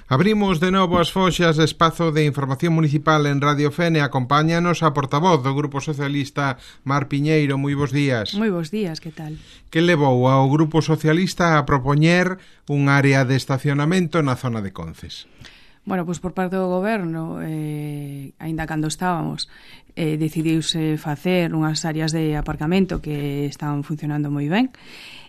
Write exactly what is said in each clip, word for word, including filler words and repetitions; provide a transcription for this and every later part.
Abrimos de novo as foxas de espazo de información municipal en Radio Fene. Acompáñanos a portavoz do Grupo Socialista, Mar Piñeiro. Moi bons días. Moi bons días, que tal? Que levou ao Grupo Socialista a propoñer un área de estacionamento na zona de Conces? Bueno, pois por parte do goberno, eh, aínda cando estábamos, eh, decidiuse facer unhas áreas de aparcamento que estaban funcionando moi ben.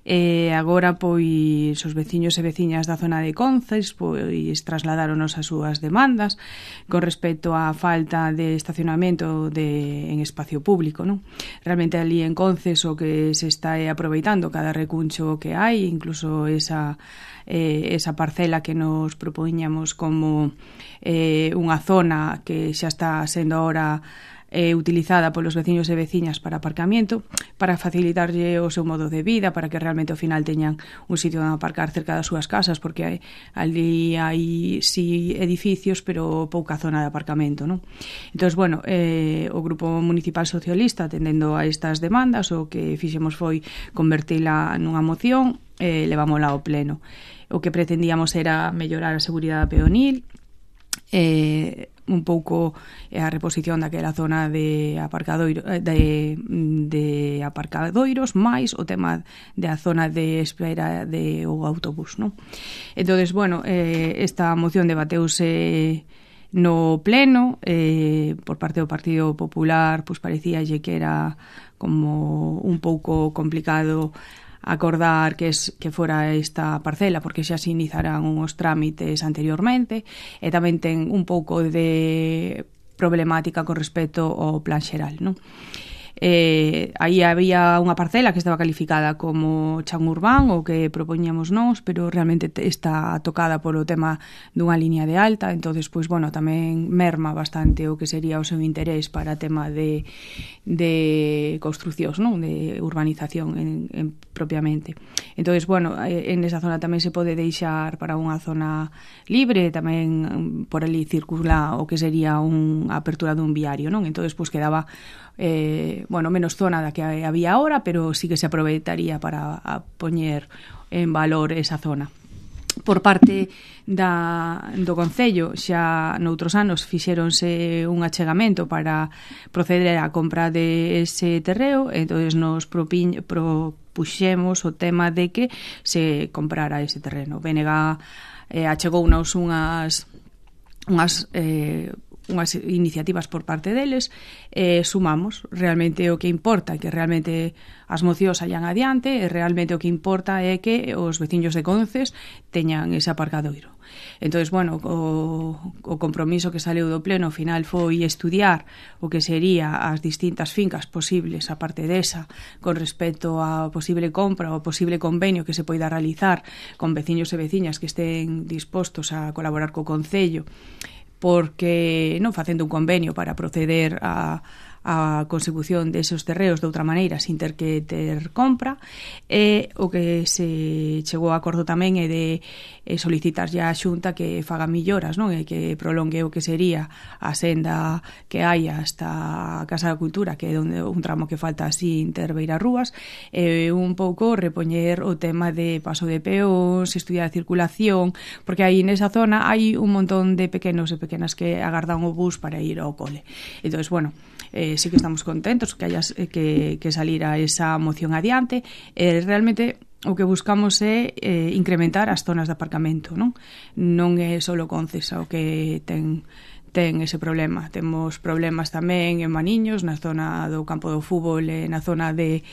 E agora, pois, os veciños e veciñas da zona de Conces pois trasladáronos as súas demandas con respecto á falta de estacionamento de, en espacio público, non? Realmente ali en Conces o que se está aproveitando cada recuncho que hai, incluso esa eh, esa parcela que nos propoñamos como eh, unha zona que xa está sendo ahora Eh, utilizada polos veciños e veciñas para aparcamiento, para facilitarlle o seu modo de vida, para que realmente ao final teñan un sitio onde aparcar cerca das súas casas, porque hai, ali hai si edificios, pero pouca zona de aparcamento, non? Entón, bueno, eh, o Grupo Municipal Socialista, atendendo a estas demandas, o que fixemos foi convertila nunha moción, e eh, levámola ao pleno. O que pretendíamos era mellorar a seguridade peonil, eh, un pouco a reposición daquela zona de aparcadoiro de, de aparcadoiros máis o tema da zona de espera de o autobús, non? Entonces, bueno, eh, esta moción debateuse no pleno, eh, por parte do Partido Popular, pois parecíalle que era como un pouco complicado acordar que es que fora esta parcela, porque xa se iniciarán uns trámites anteriormente, e tamén ten un pouco de problemática con respecto ao plan xeral, non? Eh, aí había unha parcela que estaba calificada como chan urbán, o que propoñíamos nós, pero realmente está tocada polo tema dunha liña de alta, entonces, pois, bueno, tamén merma bastante o que sería o seu interés para tema de, de construcións, non? De urbanización en, en propiamente. Entonces, bueno, en esa zona tamén se pode deixar para unha zona libre, tamén por ali circula o que sería unha apertura dun viario, non? Entonces, pois, quedaba Eh, bueno, menos zona da que había ahora, pero sí que se aproveitaría para a poñer en valor esa zona. Por parte da, do Concello, xa noutros anos fixéronse un achegamento para proceder á compra de ese terreo, entonces nos propiñ, propuxemos o tema de que se comprara ese terreno. B N G eh, achegounos unhas unhas eh, unhas iniciativas por parte deles, eh, sumamos. Realmente o que importa é que realmente as mocións sallan adiante, e realmente o que importa é que os veciños de Conces teñan ese aparcadoiro. Entonces, bueno, o, o compromiso que saleu do pleno ao final foi estudiar o que sería as distintas fincas posibles, a parte desa, con respecto a posible compra ou posible convenio que se poida realizar con veciños e veciñas que estén dispostos a colaborar co Concello, porque non facendo un convenio para proceder a, a consecución deses terreos de outra maneira sin ter que ter compra, e o que se chegou a acordo tamén é de e solicitar ya a Xunta que faga milloras, non? E que prolongue o que sería a senda que hai hasta a Casa da Cultura, que é onde un tramo que falta así ter Beirarrúas, e un pouco repoñer o tema de paso de peóns, estudiar a circulación, porque aí nesa zona hai un montón de pequenos e pequenas que agardan o bus para ir ao cole. Entonces, bueno, eh, sí que estamos contentos que hayas que, que salira esa moción adiante, e eh, realmente o que buscamos é eh, incrementar as zonas de aparcamento, non? Non é só Conces o que ten ten ese problema. Temos problemas tamén en Maniños, na zona do campo do fútbol, e na zona de,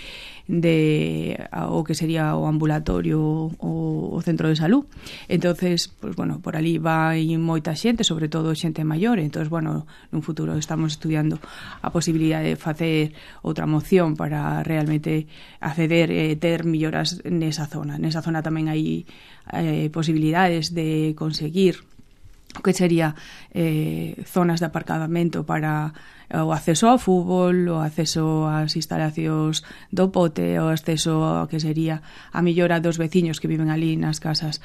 de o que sería o ambulatorio ou o centro de salud. Entonces, pues, bueno, por ali vai moita xente, sobre todo xente maior, entonces, bueno, nun futuro estamos estudiando a posibilidade de facer outra moción para realmente acceder e ter melloras nesa zona. Nesa zona tamén hai eh, posibilidades de conseguir o que sería eh, zonas de aparcamento para o acceso ao fútbol, o acceso ás instalacións do pote, o acceso ao que sería a mellora dos veciños que viven ali nas casas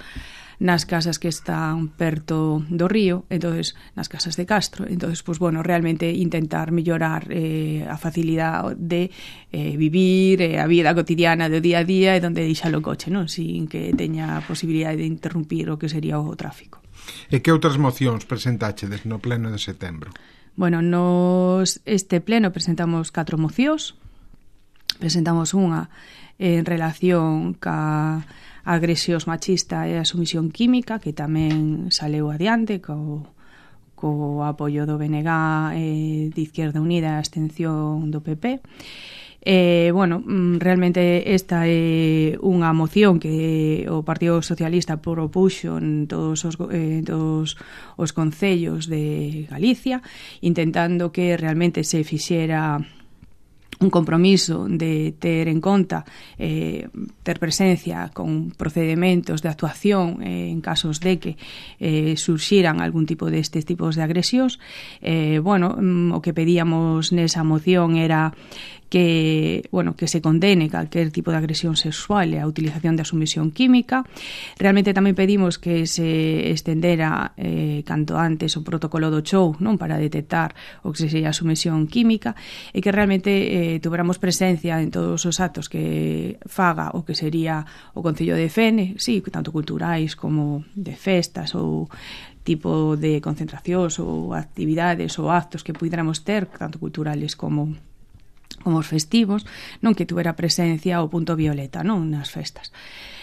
nas casas que están perto do río, entonces nas casas de Castro. Entonces, pues bueno, realmente intentar mellorar eh, a facilidade de eh, vivir eh, a vida cotidiana do día a día e donde deixa o coche, non? Sin que teña a posibilidade de interrumpir o que sería o tráfico. E que outras mocións presentachedes no pleno de setembro? Bueno, nos este pleno presentamos catro mocións. Presentamos unha en relación ca agresións machista e a sumisión química, que tamén saleu adiante co, co apoio do B N G eh, de Izquierda Unida e a abstención do P P. Eh, bueno, realmente esta é unha moción que o Partido Socialista propuxo en todos os, eh, todos os concellos de Galicia, intentando que realmente se fixera un compromiso de ter en conta eh, ter presencia con procedimentos de actuación eh, en casos de que eh, surxiran algún tipo destes tipos de agresións. Eh, bueno, o que pedíamos nesa moción era que, bueno, que se condene calquer tipo de agresión sexual e a utilización da sumisión química. Realmente tamén pedimos que se estendera eh, canto antes o protocolo do show, non, para detectar o que se sería a sumisión química, e que realmente eh, tuveramos presencia en todos os actos que faga o que sería o Concello de Fene, sí, tanto culturais como de festas ou tipo de concentracións ou actividades ou actos que puidéramos ter, tanto culturales como como os festivos, non, que tuvera presencia o punto violeta, non, nas festas.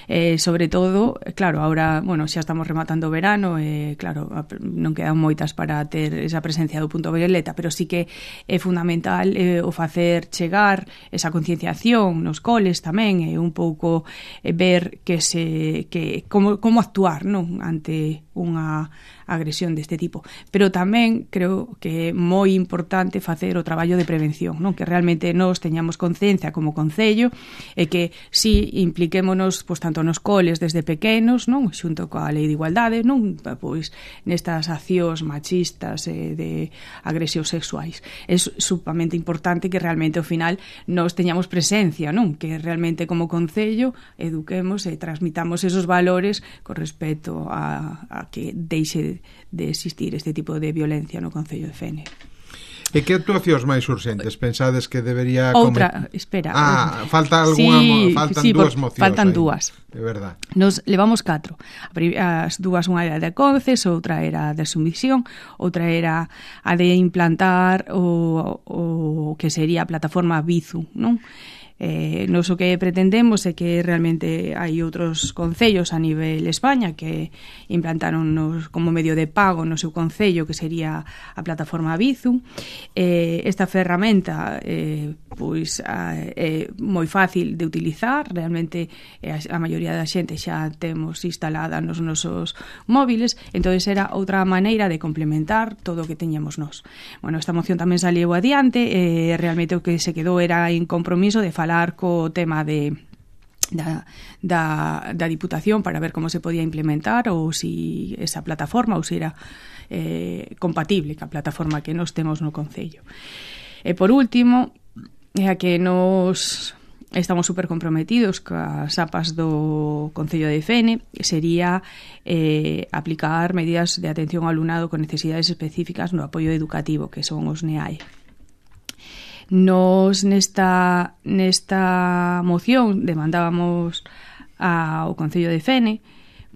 Eh, sobre todo, claro, ahora, bueno, xa estamos rematando o verano, eh, claro, non quedan moitas para ter esa presencia do punto violeta, pero sí que é fundamental eh, o facer chegar esa concienciación nos coles tamén, e eh, un pouco eh, ver que se que como, como actuar, non, ante unha agresión deste tipo. Pero tamén creo que é moi importante facer o traballo de prevención, non, que realmente nós teñamos conciencia como concello e que si impliquémonos, pois, tanto nos coles desde pequenos, non, xunto coa lei de igualdade, non, pois nestas accións machistas e de agresións sexuais. É supamente importante que realmente ao final nós teñamos presencia, non, que realmente como concello eduquemos e transmitamos esos valores con respecto a, a que deixe de existir este tipo de violencia no Concello de Fene. E que actuacións máis urxentes pensades que debería... Outra, come... espera. Ah, falta alguna, sí, faltan sí, dúas mocións. Faltan aí. dúas. De verdad. Nos levamos catro. As dúas, unha era de Conces, outra era de sumisión, outra era a de implantar o, o que sería a plataforma Bizu, non? Eh, nos o que pretendemos é que realmente hai outros concellos a nivel España que implantaron nos, como medio de pago no seu concello, que sería a plataforma Bizu. Eh, esta ferramenta eh, pois é moi fácil de utilizar, realmente eh, a maioría da xente xa temos instalada nos nosos móviles, entón era outra maneira de complementar todo o que teñamos nós. Bueno, esta moción tamén saliu adiante, eh, realmente o que se quedou era en compromiso de falar co tema de Da, da, da Diputación para ver como se podía implementar ou si esa plataforma ou se era eh, compatible ca plataforma que nos temos no Concello. E por último, é a que nos estamos super comprometidos cas APAs do Concello de Fene, sería eh, aplicar medidas de atención ao alumnado con necesidades específicas no apoio educativo, que son os N E A E. Nos nesta, nesta moción demandábamos ao Concello de Fene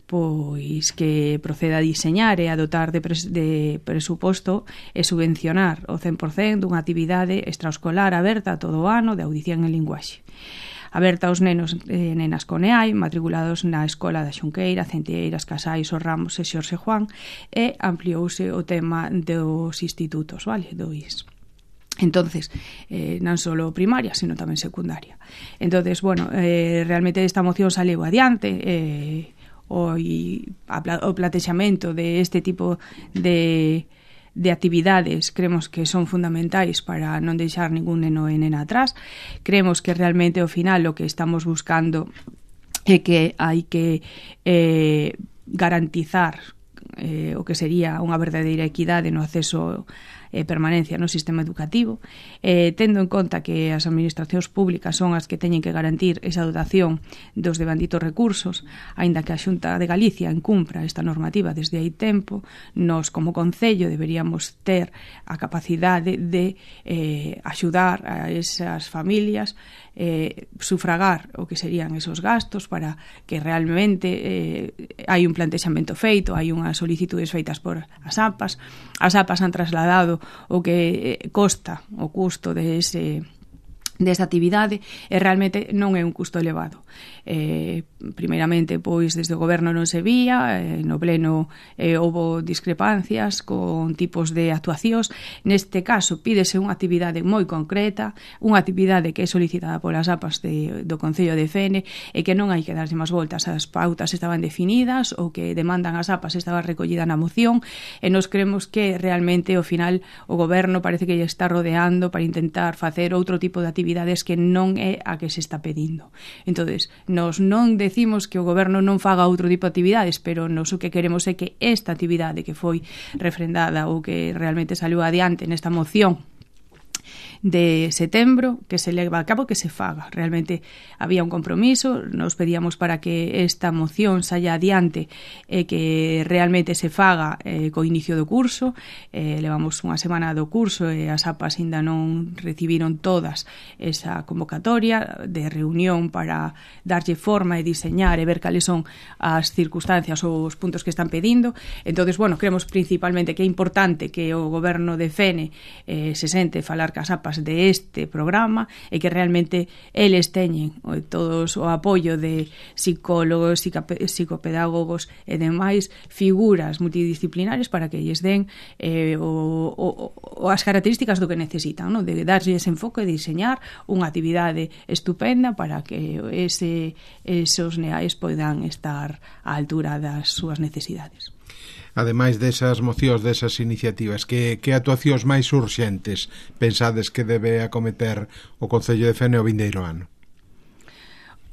pois que proceda a diseñar e a dotar de, pres, de presuposto e subvencionar o cen por cento dunha actividade extraescolar aberta todo o ano de audición en linguaxe, aberta aos nenos e nenas con E A I matriculados na Escola da Xunqueira, Centeiras, Casais, Os Ramos e Xorxe Juan, e ampliouse o tema dos institutos, vale, do I S. Entonces, eh, non só primaria, sino tamén secundaria. Entonces, bueno, eh, realmente esta moción saleu adiante, eh, o, y, a, o platexamento de este tipo de, de actividades creemos que son fundamentais para non deixar ningún neno e nena atrás. Creemos que realmente ao final o que estamos buscando é que hai que eh, garantizar eh, o que sería unha verdadeira equidade no acceso e permanencia no sistema educativo, eh, tendo en conta que as administracións públicas son as que teñen que garantir esa dotación dos devanditos recursos, aínda que a Xunta de Galicia incumpra esta normativa desde hai tempo, nós como Concello deberíamos ter a capacidade de eh, axudar a esas familias, eh, sufragar o que serían esos gastos para que realmente eh, hai un plantexamento feito, hai unhas as solicitudes feitas por as A P As. As A P As han trasladado o que costa o custo de ese desta actividade e realmente non é un custo elevado. Eh, primeiramente, pois, desde o goberno non se vía, eh, no pleno eh, houbo discrepancias con tipos de actuacións. Neste caso, pídese unha actividade moi concreta, unha actividade que é solicitada polas A P As de, do Concello de Fene e que non hai que darse máis voltas. As pautas estaban definidas, o que demandan as A P As estaba recollida na moción e nos creemos que realmente, ao final, o goberno parece que lle está rodeando para intentar facer outro tipo de actividade que non é a que se está pedindo. Entonces, nos non decimos que o goberno non faga outro tipo de actividades, pero nos o que queremos é que esta actividade que foi refrendada ou que realmente saliu adiante nesta moción de setembro, que se leva a cabo, que se faga. Realmente había un compromiso, nos pedíamos para que esta moción saia adiante e que realmente se faga eh, co inicio do curso. Eh, levamos unha semana do curso e as A P As ainda non recibiron todas esa convocatoria de reunión para darlle forma e diseñar e ver cales son as circunstancias ou os puntos que están pedindo. Entonces, bueno, creemos principalmente que é importante que o goberno de Fene eh, se sente falar cas A P As de este programa e que realmente eles teñen todos o apoio de psicólogos, psicopedagogos e demais figuras multidisciplinares para que lles den eh, o, o, o as características do que necesitan, ¿no? De darlle ese enfoque e diseñar unha actividade estupenda para que ese, esos neais poidan estar á altura das súas necesidades. Ademais desas mocións, desas iniciativas, que, que actuacións máis urxentes pensades que debe acometer o Concello de Fene o vindeiro ano?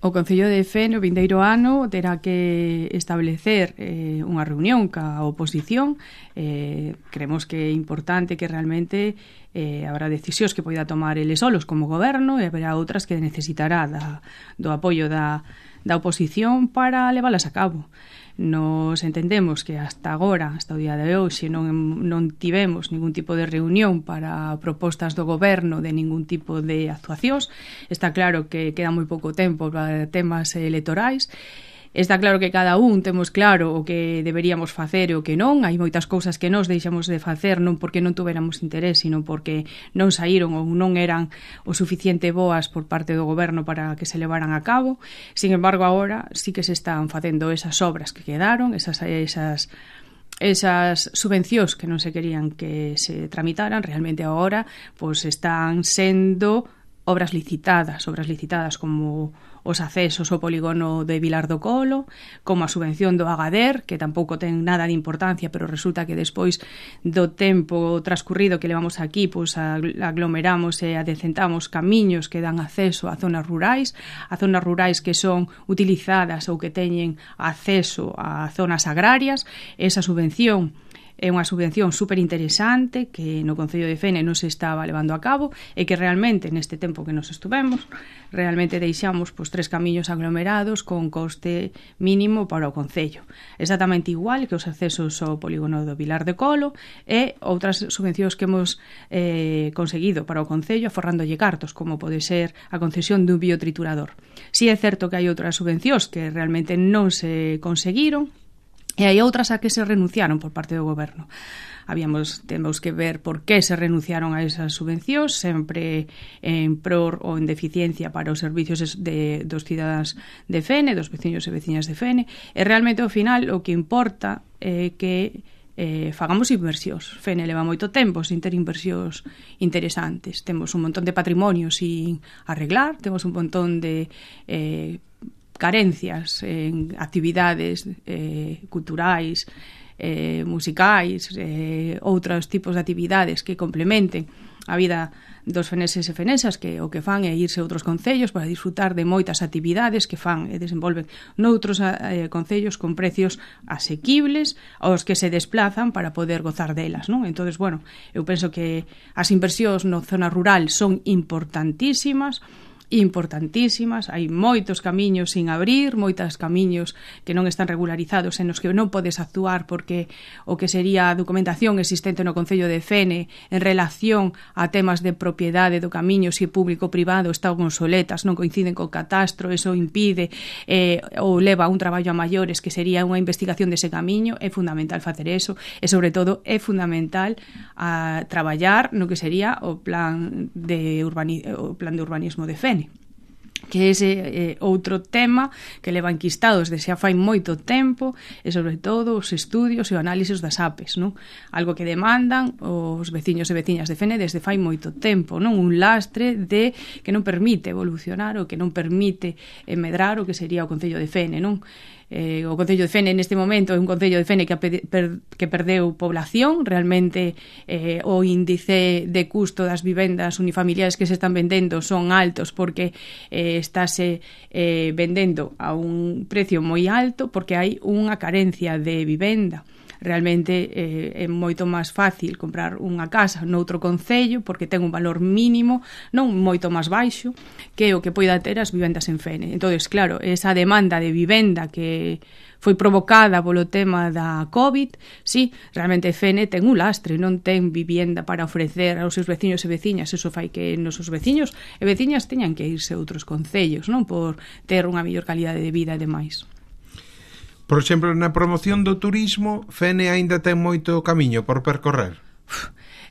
O Concello de Fene o vindeiro ano terá que establecer eh, unha reunión ca oposición. Eh, creemos que é importante que realmente eh, habrá decisións que poida tomar eles solos como goberno e haberá outras que necesitará da, do apoio da, da oposición para leválas a cabo. Nos entendemos que hasta agora, hasta o día de hoxe, non, non tivemos ningún tipo de reunión para propostas do goberno de ningún tipo de actuacións. Está claro que queda moi pouco tempo para temas electorais. Está claro que cada un temos claro o que deberíamos facer e o que non. Hai moitas cousas que nos deixamos de facer non porque non tuveramos interés, sino porque non saíron ou non eran o suficiente boas por parte do goberno para que se levaran a cabo. Sin embargo, agora sí que se están facendo esas obras que quedaron, esas esas esas subvencións que non se querían que se tramitaran. Realmente agora pois están sendo obras licitadas, obras licitadas como os accesos ao polígono de Vilar do Colo, como a subvención do Agader, que tampouco ten nada de importancia, pero resulta que despois do tempo transcurrido que levamos aquí, pois aglomeramos e adecentamos camiños que dan acceso a zonas rurais, a zonas rurais que son utilizadas ou que teñen acceso a zonas agrarias. Esa subvención é unha subvención super interesante que no Concello de Fene non se estaba levando a cabo e que realmente neste tempo que nos estuvemos realmente deixamos pois, tres camiños aglomerados con coste mínimo para o Concello, exactamente igual que os accesos ao polígono do Vilar de Colo e outras subvencións que hemos eh, conseguido para o Concello aforrándolle cartos, como pode ser a concesión dun biotriturador. Si é certo que hai outras subvencións que realmente non se conseguiron e hai outras a que se renunciaron por parte do goberno. Habíamos, temos que ver por que se renunciaron a esas subvencións, sempre en pror ou en deficiencia para os servicios de, dos cidadáns de Fene, dos veciños e veciñas de Fene, e realmente ao final o que importa é que eh, fagamos inversións. Fene leva moito tempo sin ter inversións interesantes. Temos un montón de patrimonio sin arreglar, temos un montón de eh, carencias en actividades eh, culturais, eh, musicais, eh, outros tipos de actividades que complementen a vida dos feneses e fenesas, que o que fan é irse a outros concellos para disfrutar de moitas actividades que fan e desenvolven noutros eh, concellos con precios asequibles aos que se desplazan para poder gozar delas, non? Entonces, bueno, eu penso que as inversións na zona rural son importantísimas. importantísimas, hai moitos camiños sin abrir, moitos camiños que non están regularizados en os que non podes actuar porque o que sería a documentación existente no Concello de Fene en relación a temas de propiedade do camiño, se público-privado, están obsoletas, non coinciden co catastro, eso impide eh, ou leva a un traballo a maiores que sería unha investigación dese camiño. É fundamental facer eso e sobre todo é fundamental a traballar no que sería o plan de, urbani- o plan de urbanismo de Fene, que é ese eh, outro tema que leva enquistados desde xa fai moito tempo e sobre todo os estudios e o análisis das A P Es, non? Algo que demandan os veciños e veciñas de Fene desde fai moito tempo, non? Un lastre de que non permite evolucionar ou que non permite eh, medrar o que sería o Concello de Fene, non? Eh, o Concello de Fene neste momento é un Concello de Fene que, per, que perdeu población, realmente eh, o índice de custo das vivendas unifamiliares que se están vendendo son altos porque eh, estáse eh, vendendo a un precio moi alto porque hai unha carencia de vivenda. Realmente eh, é moito máis fácil comprar unha casa noutro concello porque ten un valor mínimo, non moito máis baixo que o que poida ter as vivendas en Fene. Entón, claro, esa demanda de vivenda que foi provocada polo tema da COVID, sí, realmente Fene ten un lastre, non ten vivienda para ofrecer aos seus veciños e veciñas, eso fai que nos seus veciños e veciñas teñan que irse a outros concellos, non, por ter unha mellor calidade de vida e demais. Por exemplo, na promoción do turismo, Fene aínda ten moito camiño por percorrer.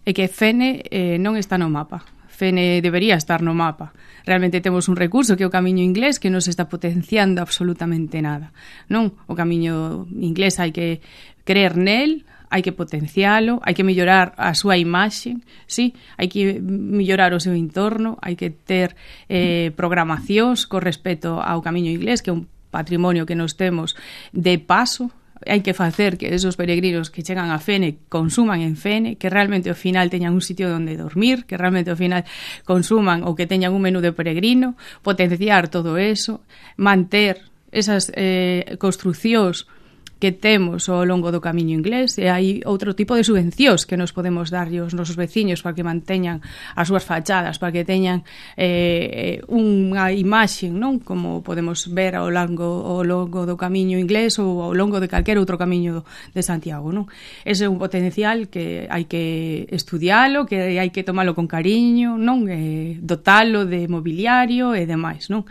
É que Fene eh, non está no mapa. Fene debería estar no mapa. Realmente temos un recurso que é o camiño inglés que non se está potenciando absolutamente nada. Non, o camiño inglés hai que creer nel, hai que potencialo, hai que mellorar a súa imaxe, sí, hai que mellorar o seu entorno, hai que ter eh, programacións con respecto ao camiño inglés, que é un patrimonio que nos temos de paso. Hai que facer que esos peregrinos que chegan a Fene consuman en Fene, que realmente ao final teñan un sitio onde dormir, que realmente ao final consuman ou que teñan un menú de peregrino, potenciar todo eso, manter esas eh, construcións que temos ao longo do camiño inglés, e hai outro tipo de subvencións que nos podemos darlle aos nosos veciños para que manteñan as súas fachadas, para que teñan eh, unha imaxe, non? Como podemos ver ao longo, ao longo do camiño inglés ou ao longo de calquer outro camiño de Santiago, non? Ese é un potencial que hai que estudialo, que hai que tomalo con cariño, non? Eh, dotalo de mobiliario e demais, non?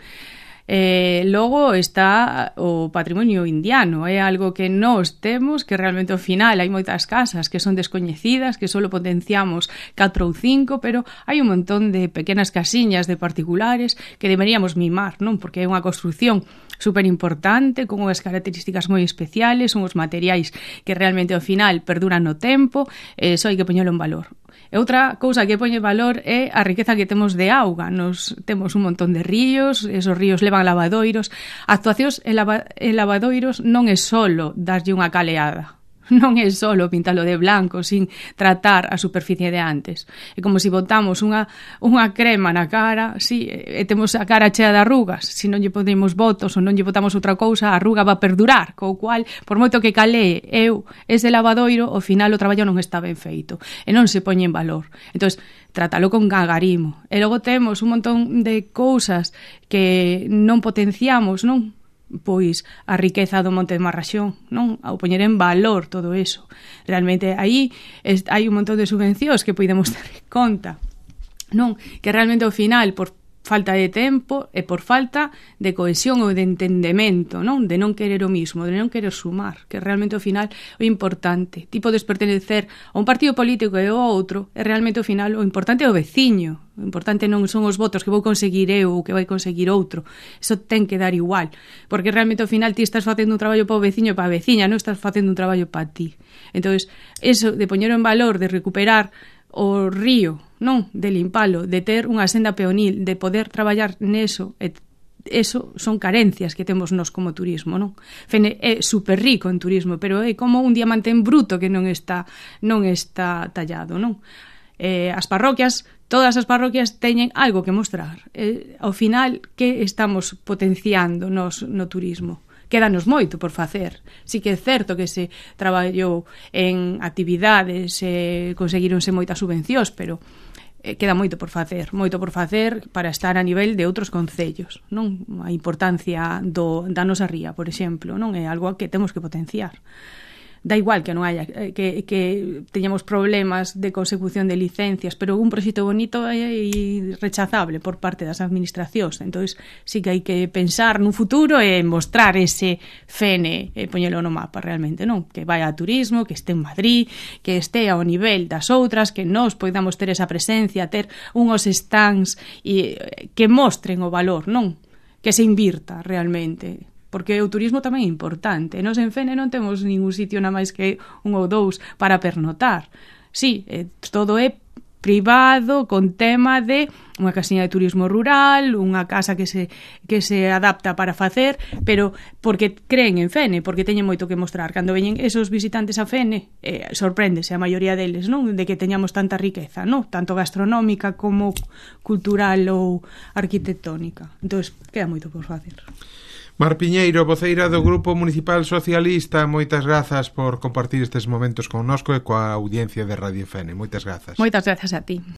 Eh, logo está o patrimonio indiano, é algo que nós temos, que realmente ao final hai moitas casas que son descoñecidas, que só potenciamos catro ou cinco, pero hai un montón de pequenas casiñas de particulares que deberíamos mimar, non? Porque é unha construción super importante, con unhas características moi especiales, unhos materiais que realmente ao final perduran no tempo, e só hai que poñelo en valor. E outra cousa que poñe valor é a riqueza que temos de auga. Nos temos un montón de ríos, esos ríos levan lavadoiros. Actuacións en, lava, en lavadoiros non é solo darlle unha caleada, non é solo pintalo de blanco sin tratar a superficie de antes. É como se botamos unha, unha crema na cara, sí, e temos a cara chea de arrugas. Se non lle podemos botos ou non lle botamos outra cousa, a arruga va a perdurar, co cual, por moito que calee eu ese lavadoiro, ao final o traballo non está ben feito e non se poñe en valor. Entón, trátalo con gagarimo. E logo temos un montón de cousas que non potenciamos, non? Pois a riqueza do Monte de Marraxón, non? Ao poñer en valor todo eso. Realmente aí hai un montón de subvencións que podemos ter en conta, non? Que realmente ao final, por falta de tempo e por falta de cohesión ou de entendemento, non? De non querer o mismo, de non querer sumar, que realmente ao final o importante. Ti podes pertenecer a un partido político e ao outro, e realmente ao final o importante é o veciño. O importante non son os votos que vou conseguir eu ou que vai conseguir outro. Eso ten que dar igual, porque realmente ao final ti estás facendo un traballo para o veciño e para a veciña, non estás facendo un traballo para ti. Entonces, eso de poñer en valor, de recuperar o río, non, de limpalo, de ter unha senda peonil, de poder traballar neso, e eso son carencias que temos nós como turismo, non? Fene é super rico en turismo, pero é como un diamante en bruto que non está non está tallado, non? Eh, as parroquias, todas as parroquias teñen algo que mostrar. Eh, ao final, que estamos potenciando nos no turismo? Quédanos moito por facer. Si que é certo que se traballou en actividades, eh, conseguironse moitas subvencións, pero eh, queda moito por facer, moito por facer para estar a nivel de outros concellos, non? A importancia do, da nosa ría, por exemplo, non é algo que temos que potenciar. Da igual que non haya que, que teñamos problemas de consecución de licencias, pero un proxecto bonito é rechazable por parte das administracións. Entonces, sí que hai que pensar nun futuro e mostrar ese F N e poñelo no mapa realmente, non? Que vai a turismo, que este en Madrid, que este ao nivel das outras, que nós podamos ter esa presencia, ter unhos stands e que mostren o valor, non? Que se invirta realmente. Porque o turismo tamén é importante. Nos en Fene non temos ningún sitio na máis que un ou dous para pernotar. Sí, eh, todo é privado, con tema de unha casiña de turismo rural, unha casa que se que se adapta para facer, pero porque creen en Fene, porque teñen moito que mostrar. Cando veñen esos visitantes a Fene, eh, sorpréndese a maioría deles, non? De que teñamos tanta riqueza, non? Tanto gastronómica como cultural ou arquitectónica. Entón, queda moito por facer. Mar Piñeiro, voceira do Grupo Municipal Socialista, moitas grazas por compartir estes momentos connosco e coa audiencia de Radio Fene. Moitas grazas. Moitas grazas a ti.